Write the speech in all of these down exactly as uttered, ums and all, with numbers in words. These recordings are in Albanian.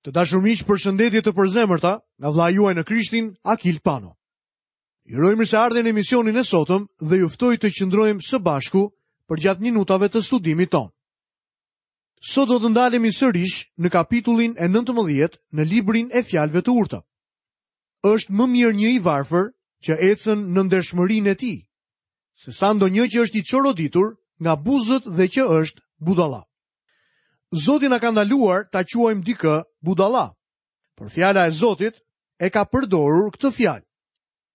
Të dashur miq, përshëndetje të përzemërta nga vëllai juaj në Krishtin, Akil Pano. Ju uroj mirëseardhjen në emisionin e sotëm dhe ju ftoj të qëndrojmë së bashku përgjatë minutave të studimit tonë. Sot do të ndalemi sërish në kapitullin e nëntëmbëdhjetë në librin e fjalëve të urta. Është më mirë një i varfër që ecën në ndershmërinë e tij, se sa ndonjë që është i çoroditur nga buzët dhe që është budalla. Zoti na ka ndaluar ta quajmë dikë budalla, por fjala e Zotit e ka përdorur këtë fjalë.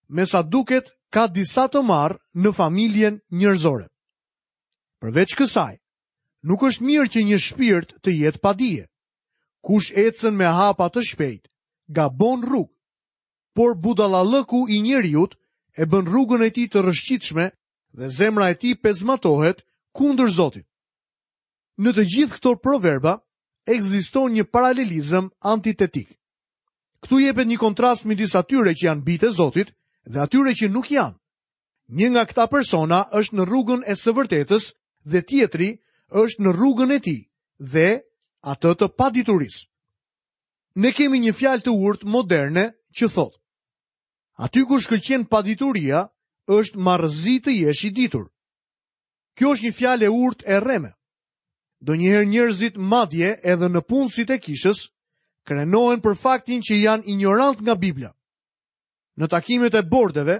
Me sa duket, ka disa të marrë në familjen njerëzore. Përveç kësaj, nuk është mirë që një shpirt të jetë pa dije. Kush ecën me hapa të shpejt, gabon rrugë. Por budallallëku i njeriut e bën rrugën e tij të rrëshqitshme dhe zemra e tij pezmatohet kundër Zotit. Në të gjithë këto proverba ekziston një paralelizëm antitetik. Këtu jepet një kontrast midis atyre që janë bijtë e Zotit dhe atyre që nuk janë. Një nga këta persona është në rrugën e së vërtetës dhe tjetri është në rrugën e tij dhe atë të paditurisë. Ne kemi një fjalë të urtë moderne që thotë: Aty ku shkëlqen padituria, është marrëzi të jesh i ditur. Kjo është një fjalë e urtë e rreme. Ndonjëherë njerëzit, madje edhe në punësit e kishës, krenohen për faktin që janë ignorant nga Bibla. Në takimet e bordeve,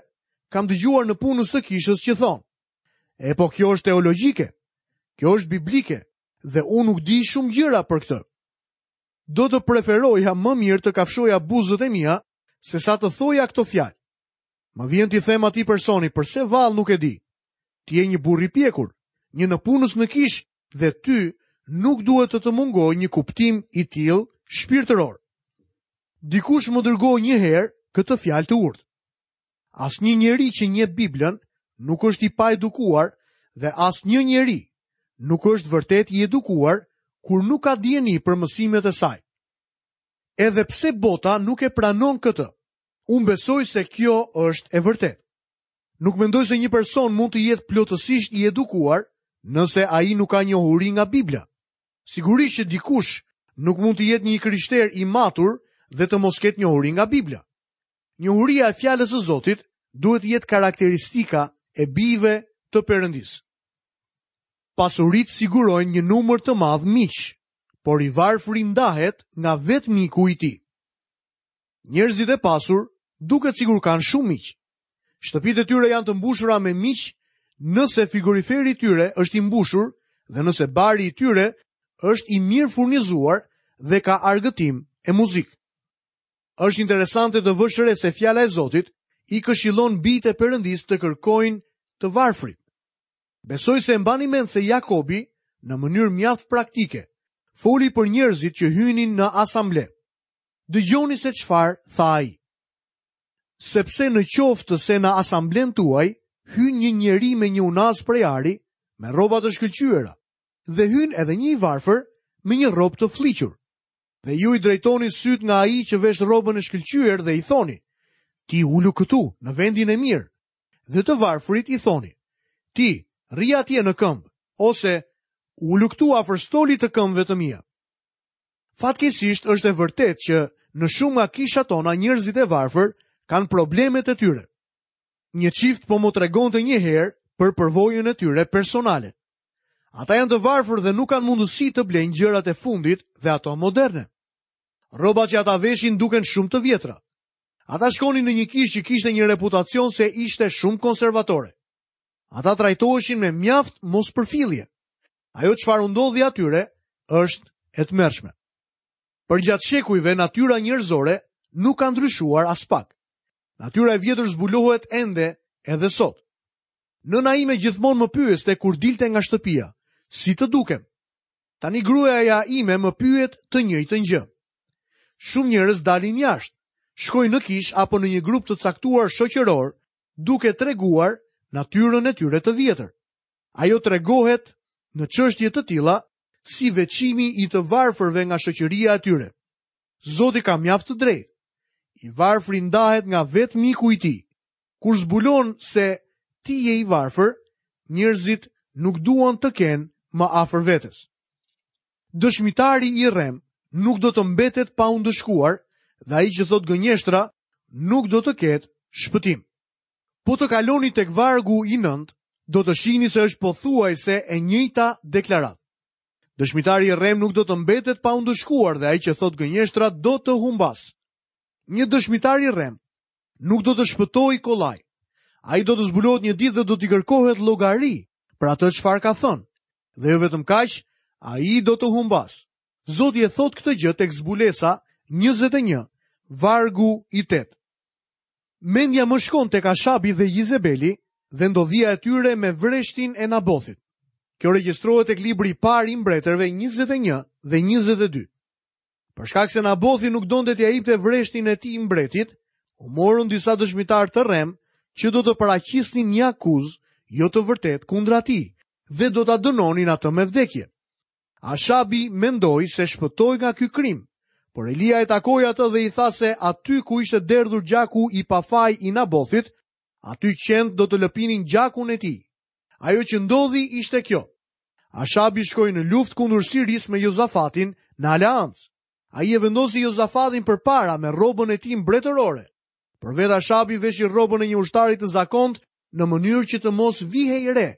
kam dëgjuar në punës të kishës që thonë: E po kjo është teologjike, kjo është biblike dhe unë nuk di shumë gjëra për këtë. Do të preferoja më mirë të kafshoja buzët e mia se sa të thoja këto fjalë. Më vjen t'i them atij personi, përse vallë nuk e di? Ti je një burr i pjekur, një nëpunës në kishë dhe ty nuk duhet të të mungojë një kuptim i tillë shpirtëror. Dikush më dërgoi një herë këtë fjalë të urtë. Asnjë njeri që njeh Biblën nuk është i paedukuar dhe asnjë njeri nuk është vërtet i edukuar kur nuk ka dijeni për mësimet e saj. Edhe pse bota nuk e pranon këtë, unë besoj se kjo është e vërtetë. Nuk mendoj se një person mund të jetë plotësisht i edukuar nëse ai nuk ka njohuri nga Bibla. Sigurisht që dikush nuk mund të jetë një krishter i matur dhe të mos ketë njohuri nga Bibla. Njohuria e fjalës së Zotit duhet të jetë karakteristika e bijve të Perëndisë. Pasuritë sigurojnë një numër të madh miq, por i varfri ndahet nga vetë miku i tij. Njerëzit e pasur duket sikur kanë shumë miq. Shtëpitë e tyre janë të mbushura me miq nëse frigoriferi i tyre është i mbushur dhe nëse bari i tyre është i mirë furnizuar dhe ka argëtim e muzikë. Është interesante të vësh re se fjala e Zotit i këshillon bijtë e Perëndisë të kërkojnë të varfrit. Besoj se mbani mend se Jakobi, në mënyrë mjaft praktike, foli për njerëzit që hynin në asamble. Dëgjoni se çfarë tha ai. Sepse në qoftë se në asamblen tuaj hyn një njeri me një unaz prej ari, me rroba të shkëlqyera, dhe hyn edhe një i varfër me një rrobë të fliqur. Dhe ju i drejtoni syt nga ai që vesh rrobën e shkëlqyer dhe i thoni: Ti ulu këtu, në vendin e mirë. Dhe të varfrit i thoni: Ti rri atje në këmbë, ose ulu këtu afër stolit të këmbëve të mia. Fatkeqësisht është e vërtetë që në shumë nga kishat tona njerëzit e varfër kanë problemet e tyre. Një çift po më tregonte një herë për përvojën e tyre personale. Ata janë të varfër dhe nuk kanë mundësi të blejnë gjërat e fundit dhe ato moderne. Rrobat që ata veshin duken shumë të vjetra. Ata shkonin në një kishë që kishte një reputacion se ishte shumë konservatore. Ata trajtoheshin me mjaft mospërfillje. Ajo çfarë u ndodhi atyre është e tmerrshme. Përgjatë shekujve natyra njerëzore nuk ka ndryshuar as pak. Natyra e vjetër zbulohet ende edhe sot. Nëna ime gjithmonë më pyeste kur dilte nga shtëpia, si të dukem. Tani gruaja ime më pyet të njëjtën gjë. Shumë njerëz dalin jashtë, shkojnë në kish apo në një grup të caktuar shoqëror, duke treguar natyrën e tyre të vjetër. Ajo tregohet në çështje të tilla si veçimi i të varfërve nga shoqëria e tyre. Zoti ka mjaft të drejtë. I varfri ndahet nga vetë miku i tij. Kur zbulon se ti je i varfër, njerëzit nuk duan të kenë më afër vetes. Dëshmitari i rrem nuk do të mbetet pa u ndëshkuar dhe ai që thotë gënjeshtra nuk do të ketë shpëtim. Po të kaloni tek vargu i nëntë, do të shihni se është pothuajse e njëjta deklaratë. Dëshmitari i rrem nuk do të mbetet pa u ndëshkuar dhe ai që thotë gënjeshtra do të humbas. Një dëshmitar i rrem nuk do të shpëtojë kollaj. Ai do të zbulohet një ditë dhe do t'i kërkohet llogari për atë çfarë ka thënë. Dhe jo vetëm kaq, ai do të humbas. Zoti e thotë këtë gjë tek Zbulesa njëzet e një, vargu i tetë. Mendja më shkon tek Ashabi dhe Jezebeli dhe ndodhia e tyre me vreshtin e Nabothit. Kjo regjistrohet tek libri i parë i mbretërve njëzet e një dhe njëzet e dy. Për shkak se Nabothi nuk donte t'ia jepte vreshtin e tij mbretit, u morën disa dëshmitar të rrem që do të paraqisnin një akuzë jo të vërtetë kundra tij dhe do ta dënonin atë me vdekje. Ashabi mendoi se shpëtoi nga ky krim, por Elia e takoi atë dhe i tha se aty ku ishte derdhur gjaku i pafaj i Nabothit, aty qentë do të lëpinin gjakun e tij. Ajo që ndodhi ishte kjo. Ashabi shkoi në luftë kundër Sirisë me Jozafatin në aleancë. Ai e vendosi Jozafatin përpara me rrobën e tij mbretërore. Por vetë Ashabi veshi rrobën e një ushtari të zakont në mënyrë që të mos vihej re.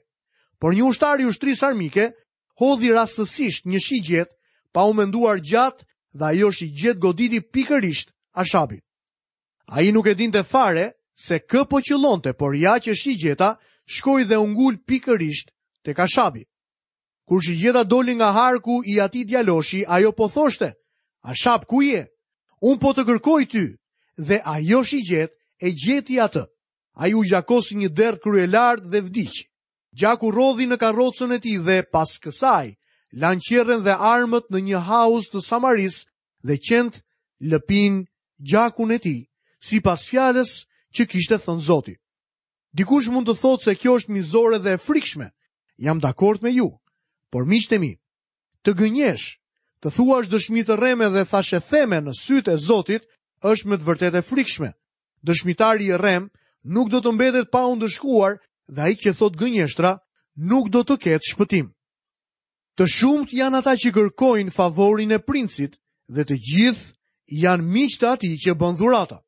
Por një ushtar i ushtrisë armike hodhi rastësisht një shigjet pa u menduar gjatë dhe ajo shigjet goditi pikërisht Ashabin. Ai nuk e dinte fare se kë po qëllonte, por ja që shigjeta shkoi dhe u ngul pikërisht tek Ashabi. Kur shigjeta doli nga harku i atij djaloshi, ajo po thoshte: "Ashab, ku je? Unë po të kërkoj ty." Dhe ajo shigjet e gjeti atë. Ai u gjakos një derr kryelart dhe vdiq. Gjaku rrodhi në karrocën e tij dhe pas kësaj lanë qerren dhe armët në një hauz të Samarisë dhe qentë lëpin gjakun e tij, sipas fjalës që kishte thënë Zoti. Dikush mund të thotë se kjo është mizore dhe e frikshme. Jam dakord me ju, por miqtë e mi, të gënjesh, të thuash dëshmi të rreme dhe thashe theme në sytë e Zotit është me të vërtetë e frikshme. Dëshmitari i rrem nuk do të mbetet pa u ndëshkuar dhe ai që thot gënjeshtra nuk do të ketë shpëtim. Të shumtë janë ata që kërkojnë favorin e princit dhe të gjithë janë miq të atij që bën dhurata.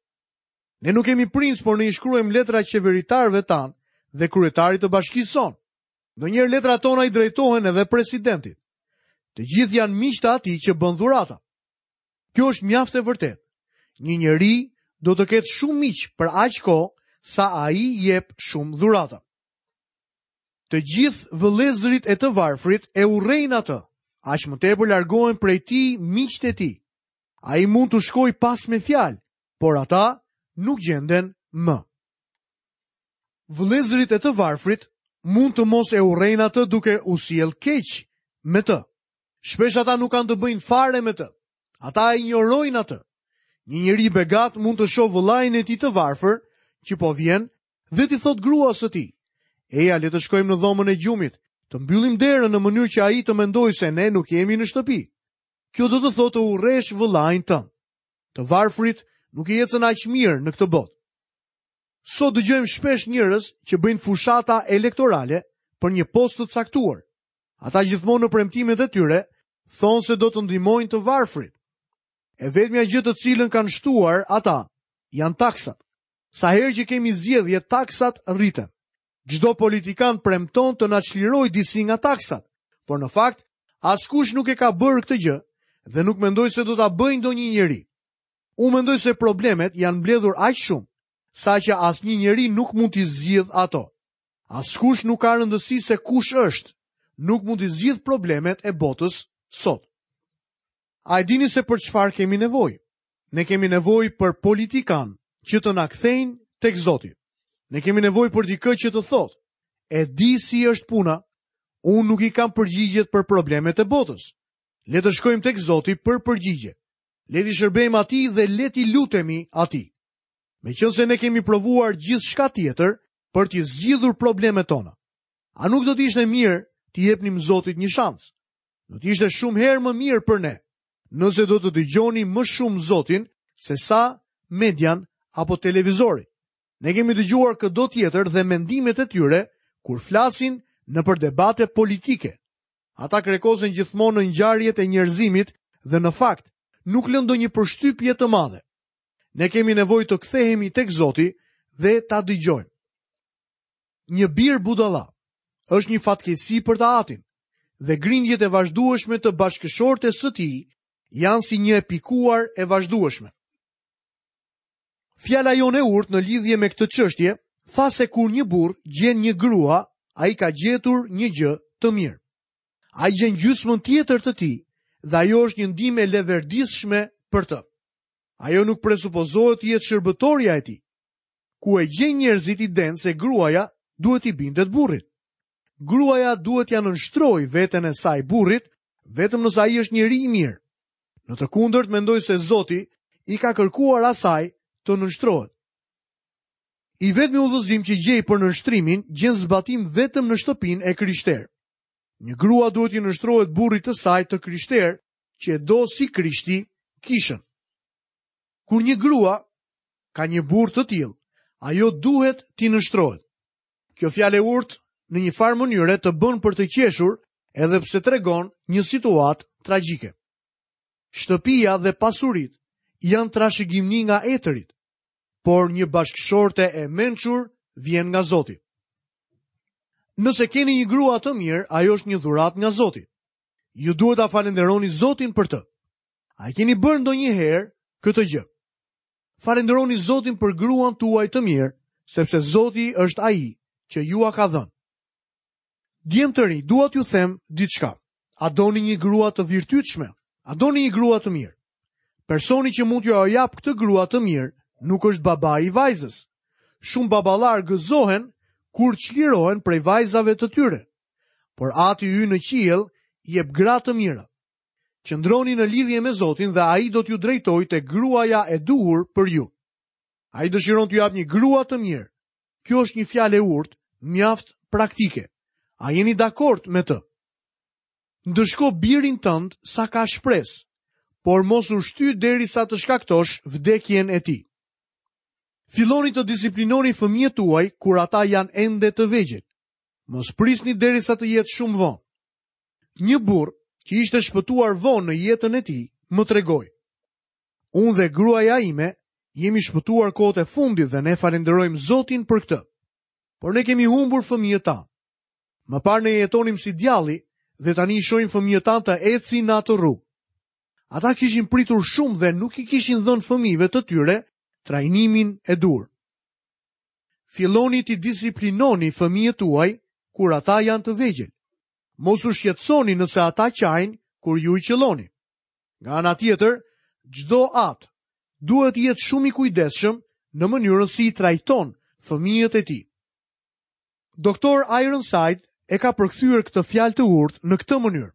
Ne nuk kemi princ, por ne i shkruajmë letra qeveritarëve tanë dhe kryetarit të bashkisë sonë. Ndonjëherë letrat tona i drejtohen edhe presidentit. Të gjithë janë miq të atij që bën dhurata. Kjo është mjaft e vërtetë. Një njeri do të ketë shumë miq për aq kohë sa ai jep shumë dhurata. Të gjithë vëllezërit e të varfrit e urrejnë atë, aq më tepër largohen prej tij miqtë e tij. Ai mund t'u shkojë pas me fjalë, por ata nuk gjenden më. Vëllezërit e të varfrit mund të mos e urrejnë atë duke u sjell keq me të. Shpesh ata nuk kanë të bëjnë fare me të. Ata e injorojnë atë. Një njeri i begat mund të shohë vëllain e tij të varfër që po vjen dhe t'i thotë gruas së tij: "Eja, le të shkojmë në dhomën e gjumit, të mbyllim derën në mënyrë që ai të mendojë se ne nuk jemi në shtëpi." Kjo do të thotë të urresh vëllain tënd. Të varfrit nuk i ecën aq mirë në këtë botë. Sot dëgjojmë shpesh njerëz që bëjnë fushata elektorale për një post të caktuar. Ata gjithmonë në premtimet e tyre thonë se do të ndihmojnë të varfrit. E vetmja gjë të cilën kanë shtuar ata janë taksat. Sa herë që kemi zgjedhje, taksat rriten. Çdo politikan premton të na çlirojë disi nga taksat, por në fakt askush nuk e ka bërë këtë gjë dhe nuk mendoj se do ta bëjë ndonjë njeri. Unë mendoj se problemet janë mbledhur aq shumë, saqë asnjë njeri nuk mund t'i zgjidh ato. Askush nuk ka rëndësi se kush është, nuk mund t'i zgjidh problemet e botës sot. A e dini se për çfarë kemi nevojë? Ne kemi nevojë për politikan që të na kthejnë tek Zoti. Ne kemi nevojë për dikë që të thotë: "E di si është puna, unë nuk i kam përgjigjet për problemet e botës. Le të shkojmë tek Zoti për përgjigje. Le t'i shërbejmë atij dhe le t'i lutemi atij." Meqense ne kemi provuar gjithçka tjetër për t'i zgjidhur problemet tona, a nuk do të ishte mirë t'i jepnim Zotit një shans? Do të ishte shumë herë më mirë për ne nëse do të dëgjoni më shumë Zotin se sa median apo televizorin. Ne kemi dëgjuar këdo tjetër dhe mendimet e tyre kur flasin nëpër debate politike. Ata krekosen gjithmonë në ngjarjet e njerëzimit dhe në fakt nuk lë ndonjë përshtypje të madhe. Ne kemi nevojë të kthehemi tek Zoti dhe ta dëgjojmë. Një bir budalla është një fatkeqësi për të atin dhe grindjet e vazhdueshme të bashkëshortes së tij janë si një e pikuar e vazhdueshme. Fjala jonë e urtë në lidhje me këtë çështje tha se kur një burrë gjen një grua, ai ka gjetur një gjë të mirë. Ai gjen gjysmën tjetër të tij dhe ajo është një ndihmë e leverdishme për të. Ajo nuk presupozohet të jetë shërbëtoria e tij. Ku e gjejnë njerëzit idenë se gruaja duhet t'i bindet burrit. Gruaja duhet t'ia nënshtrojë veten e saj burrit vetëm nëse ai është njeri i mirë. Në të kundërt mendoj se Zoti i ka kërkuar asaj të nënshtrohet. I vetmi udhëzim që gjej për nënshtrimin gjen zbatim vetëm në shtëpinë e krishterë. Një grua duhet t'i nënshtrohet burrit të saj të krishterë që e do si Krishti kishën. Kur një grua ka një burrë të tillë, ajo duhet t'i nënshtrohet. Kjo fjalë e urtë në një farë mënyre të bën për të qeshur, edhe pse tregon një situatë tragjike. Shtëpia dhe pasuritë janë trashëgimni nga etërit, por një bashkëshorte e mençur vjen nga Zoti. Nëse keni një grua të mirë, ajo është një dhuratë nga Zoti. Ju duhet ta falenderoni Zotin për të. A e keni bërë ndonjëherë këtë gjë? Falenderoni Zotin për gruan tuaj të mirë, sepse Zoti është ai që jua ka dhënë. Djem të rinj, dua t'ju them diçka. A doni një grua të virtytshme? A doni një grua të mirë? Personi që mund t'jua jap këtë grua të mirë nuk është babai i vajzës. Shumë baballar gëzohen kur çlirohen prej vajzave të tyre. Por Ati ynë në qiell jep gra të mira. Qëndroni në lidhje me Zotin dhe ai do t'ju drejtojë te gruaja e duhur për ju. Ai dëshiron t'ju jap një grua të mirë. Kjo është një fjalë e urtë, mjaft praktike. A jeni dakord me të? Ndëshko birin tënd sa ka shpresë, por mos u shty derisa të shkaktosh vdekjen e tij. Filloni të disiplinoni fëmijët tuaj kur ata janë ende të vegjël. Mos prisni derisa të jetë shumë vonë. Një burrë që ishte shpëtuar vonë në jetën e tij, më tregoi: Unë dhe gruaja ime jemi shpëtuar kohët e fundit dhe ne falenderojmë Zotin për këtë. Por ne kemi humbur fëmijët tanë. Më parë ne jetonim si djalli dhe tani i shohim fëmijët tanë të ecin në atë rrugë. Ata kishin pritur shumë dhe nuk i kishin dhënë fëmijëve të tyre trajnimin e duhur. Filloni t'i disiplinoni fëmijët tuaj kur ata janë të vegjël. Mos u shqetësoni nëse ata qajnë kur ju i qëlloni. Nga ana tjetër, çdo atë duhet të jetë shumë i kujdesshëm në mënyrën si i trajton fëmijët e tij. Doktor Ironside e ka përkthyer këtë fjalë të urtë në këtë mënyrë: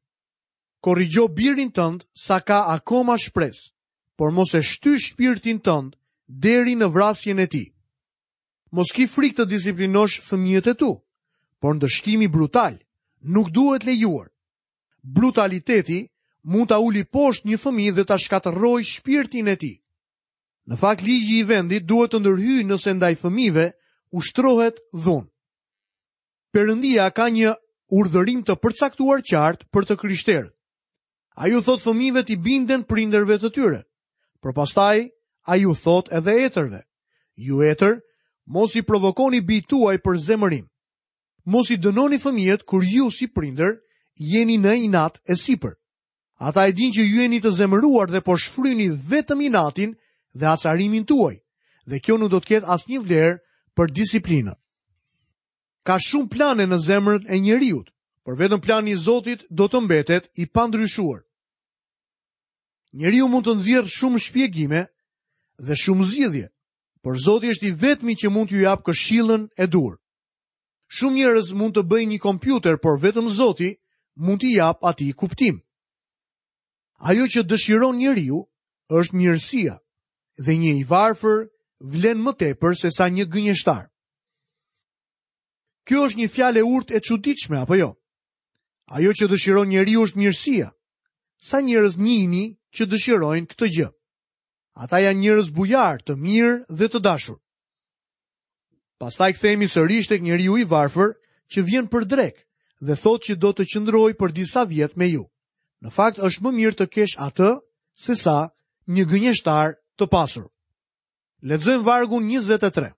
Korrigjo birin tënd sa ka akoma shpresë, por mos e shty shpirtin tënd deri në vrasjen e tij. Mos ki frikë të disiplinosh fëmijët e tu, por ndëshkimi brutal nuk duhet lejuar. Brutaliteti mund ta uli poshtë një fëmijë dhe ta shkatërrojë shpirtin e tij. Në fakt, ligji i vendit duhet të ndërhyjë nëse ndaj fëmijëve ushtrohet dhunë. Perëndia ka një urdhërim të përcaktuar qartë për të krishterët. Ai u thot fëmijëve t'i binden prindërve të tyre. Por pastaj ai u thot edhe etërve: Ju etër, mos i provokoni bijtë tuaj për zemërim. Mos i dënoni fëmijët kur ju si prindër jeni në inat e sipër. Ata e dinë që ju jeni të zemëruar dhe po shfryni vetëm inatin dhe acarimin tuaj, dhe kjo nuk do të ketë asnjë vlerë për disiplinën. Ka shumë plane në zemrën e njeriut, por vetëm plani i Zotit do të mbetet i pandryshuar. Njeriu mund të nxjerrë shumë shpjegime dhe shumë zgjidhje, por Zoti është i vetmi që mund t'ju japë këshillën e duhur. Shumë njerëz mund të bëjnë një kompjuter, por vetëm Zoti mund t'i japë atij kuptim. Ajo që dëshiron njeriu është mirësia, dhe një i varfër vlen më tepër se sa një gënjeshtar. Kjo është një fjalë e urtë e çuditshme, apo jo? Ajo që dëshiron njeriu është mirësia. Sa njerëz njihni që dëshirojnë këtë gjë? Ata janë njerëz bujar, të mirë dhe të dashur. Pastaj kthehemi sërish tek njeriu i varfër që vjen për drekë dhe thotë që do të qëndrojë për disa vjet me ju. Në fakt është më mirë të kesh atë se sa një gënjeshtar të pasur. Lexojmë vargun njëzet e tre.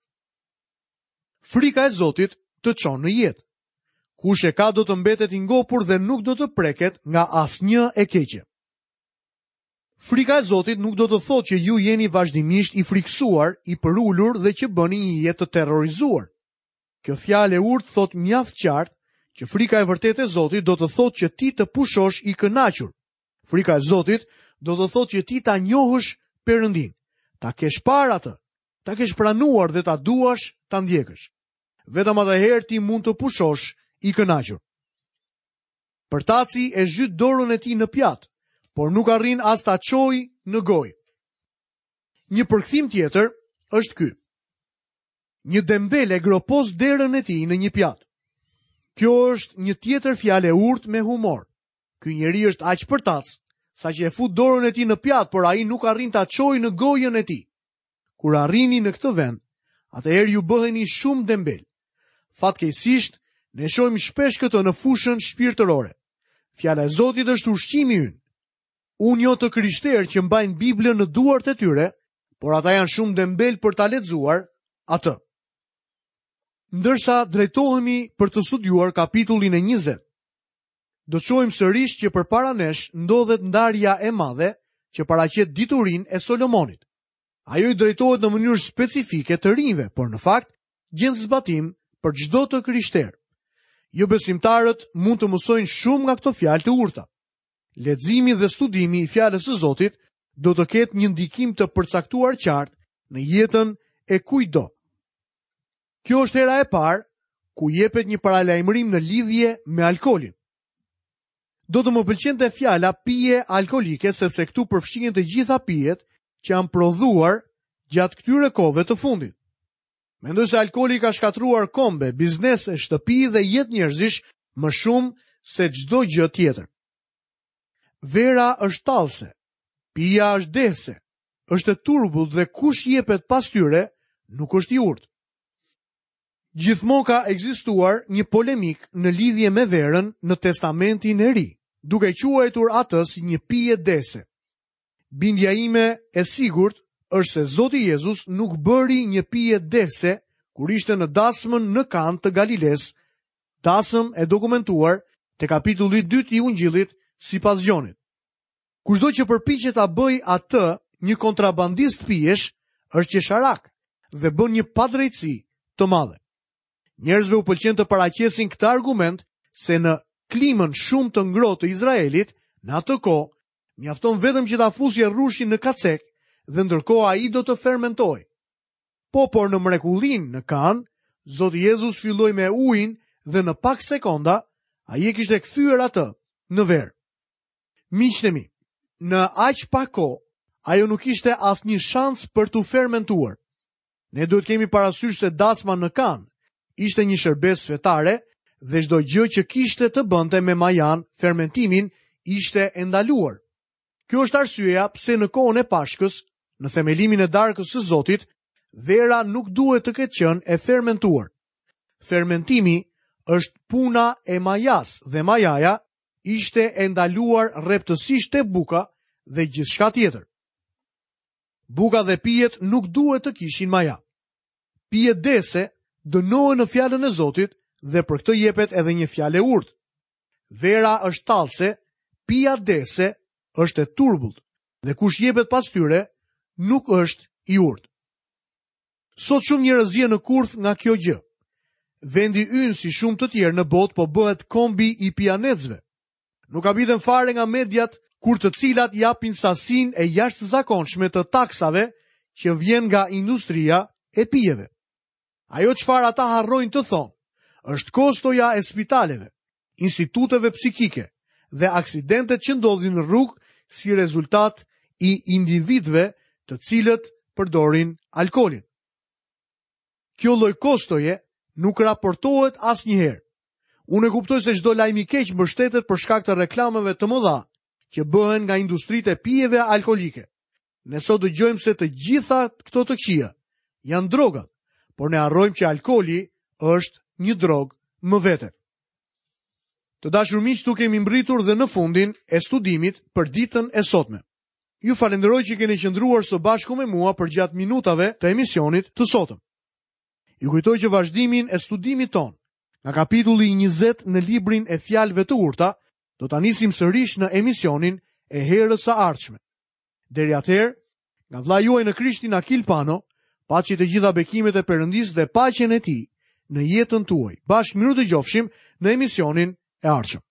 Frika e Zotit të çon në jetë. Kush e ka do të mbetet i ngopur dhe nuk do të preket nga asnjë e keqe. Frika e Zotit nuk do të thotë që ju jeni vazhdimisht i frikësuar, i përulur dhe që bëni një jetë të terrorizuar. Kjo fjalë e urtë thotë mjaft qartë që frika e vërtetë e Zotit do të thotë që ti të pushosh i kënaqur. Frika e Zotit do të thotë që ti ta njohësh Perëndin, ta kesh parë atë, ta kesh pranuar dhe ta duash ta ndjekësh. Vetëm atëherë ti mund të pushosh i kënaqur. Përtaci e zhyt dorën e tij në pjatë, por nuk arrin as ta çojë në gojë. Një përkthim tjetër është ky. Një dembel e gropos derën e tij në një pjatë. Kjo është një tjetër fjalë e urtë me humor. Ky njeri është aq përtac, saqë e fut dorën e tij në pjatë, por ai nuk arrin ta çojë në gojën e tij. Kur arrini në këtë vend, atëherë ju bëheni shumë dembel. Fatkeqësisht, ne shohim shpesh këtë në fushën shpirtërore. Fjala e Zotit është ushqimi ynë. Unë njoh të krishterë që mbajnë Biblën në duart e tyre, por ata janë shumë dembel për ta lexuar atë. Ndërsa drejtohemi për të studiuar kapitullin e njëzet, do të shohim sërish që përpara nesh ndodhet ndarja e madhe që paraqet diturinë e Solomonit. Ajo i drejtohet në mënyrë specifike të rinjve, por në fakt gjen zbatim për çdo të krishterë. Jo besimtarët mund të mësojnë shumë nga këto fjalë të urta. Leximi dhe studimi i fjalës së Zotit do të ketë një ndikim të përcaktuar qartë në jetën e kujtdo. Kjo është hera e parë ku jepet një paralajmërim në lidhje me alkoolin. Do të më pëlqente fjala pije alkoolike, sepse këtu përfshihen të gjitha pijet që janë prodhuar gjatë këtyre kohëve të fundit. Mendoj se alkooli ka shkatruar kombe, biznese, shtëpi dhe jetë njerëzish më shumë se çdo gjë tjetër. Vera është tallëse, pija është dehse, është e turbullt dhe kush jepet pas tyre nuk është i urtë. Gjithmonë ka ekzistuar një polemik në lidhje me verën në Testamentin e Ri, duke quajtur atë si një pije dehse. Bindja ime e sigurt është se Zoti Jezus nuk bëri një pije dehse kur ishte në dasmën në Kanë të Galiles, dasëm e dokumentuar te kapitulli i dytë i Ungjillit sipas Gjonit. Kushdo që përpiqet ta bëjë atë një kontrabandist pijesh, është qesharak dhe bën një padrejtësi të madhe. Njerëzve u pëlqen të paraqesin këtë argument se në klimën shumë të ngrohtë të Izraelit, në atë kohë, mjafton vetëm që ta fusje rrushin në kacek dhe ndërkohë ai do të fermentojë. Po, por në mrekullinë në Kanë, Zoti Jezus filloi me ujin dhe në pak sekonda ai e kishte kthyer atë në verë. Miqtë e mi, në aq pak kohë, ajo nuk ishte asnjë shans për t'u fermentuar. Ne duhet kemi parasysh se dasma në Kanë ishte një shërbesë fetare dhe çdo gjë që kishte të bënte me majan, fermentimin, ishte e ndaluar. Kjo është arsyeja pse në kohën e Pashkës, në themelimin e darkës së Zotit, vera nuk duhet të ketë qenë e fermentuar. Fermentimi është puna e majas dhe majaja ishte e ndaluar rreptësisht te buka dhe gjithçka tjetër. Buka dhe pijet nuk duhet të kishin maja. Pijet dese dënohen në fjalën e Zotit dhe për këtë jepet edhe një fjalë e urtë. Vera është tallëse, pija dese është e turbullt dhe kush jepet pas tyre nuk është i urtë. Sot shumë njerëz zihen në kurth nga kjo gjë. Vendi ynë si shumë të tjerë në botë po bëhet kombi i pijanecëve. Nuk habiten fare nga mediat kur të cilat japin sasinë e jashtëzakonshme të taksave që vjen nga industria e pijeve. Ajo çfarë ata harrojnë të thonë është kostoja e spitaleve, instituteve psikike dhe aksidentet që ndodhin në rrugë si rezultat i individëve të cilët përdorin alkoolin. Kjo lloj kostoje nuk raportohet asnjëherë. Unë e kuptoj se çdo lajm i keq mbështetet për shkak të reklameve të mëdha që bëhen nga industritë e pijeve alkoolike. Ne sot dëgjojmë se të gjitha këto të këqija janë drogat, por ne harrojmë që alkooli është një drogë më vete. Të dashur miq, tu kemi mbritur dhe në fundin e studimit për ditën e sotme. Ju falenderoj që keni qëndruar së bashku me mua përgjatë minutave të emisionit të sotëm. Ju kujtoj që vazhdimin e studimit tonë, nga kapitulli njëzet në librin e Fjalëve të Urta, do ta nisim sërish në emisionin e herës së ardhshme. Deri atëherë, nga vëllai juaj në Krishtin Akil Pano, paçi të gjitha bekimet e Perëndisë dhe paqen e Tij në jetën tuaj. Bashkë mirudëgjofshim në emisionin e ardhshëm.